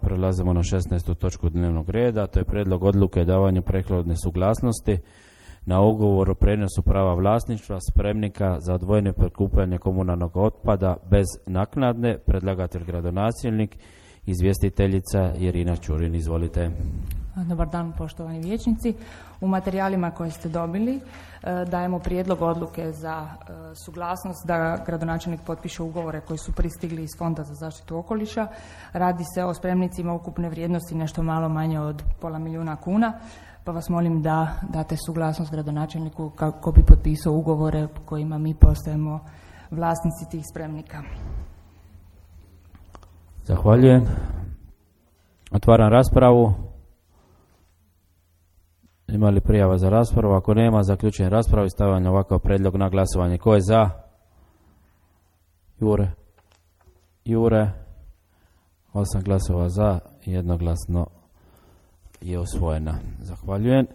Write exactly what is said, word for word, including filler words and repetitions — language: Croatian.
prelazimo na šesnaestu točku dnevnog reda, to je prijedlog odluke o davanju prethodne suglasnosti na ugovor o prijenosu prava vlasništva spremnika za odvojeno prikupljanje komunalnog otpada bez naknade. Predlagatelj gradonačelnik, izvjestiteljica Irina Čurin. Izvolite. Dobar dan, poštovani vijećnici. U materijalima koje ste dobili dajemo prijedlog odluke za suglasnost da gradonačelnik potpiše ugovore koji su pristigli iz Fonda za zaštitu okoliša. Radi se o spremnicima ukupne vrijednosti nešto malo manje od pola milijuna kuna, pa vas molim da date suglasnost gradonačelniku kako bi potpisao ugovore kojima mi postajemo vlasnici tih spremnika. Zahvaljujem. Otvaram raspravu. Ima li prijava za raspravu? Ako nema, zaključujem raspravu i stavljam ovakav prijedlog na glasovanje. Ko je za? Jure. Jure. Osam glasova za, jednoglasno je usvojena. Zahvaljujem.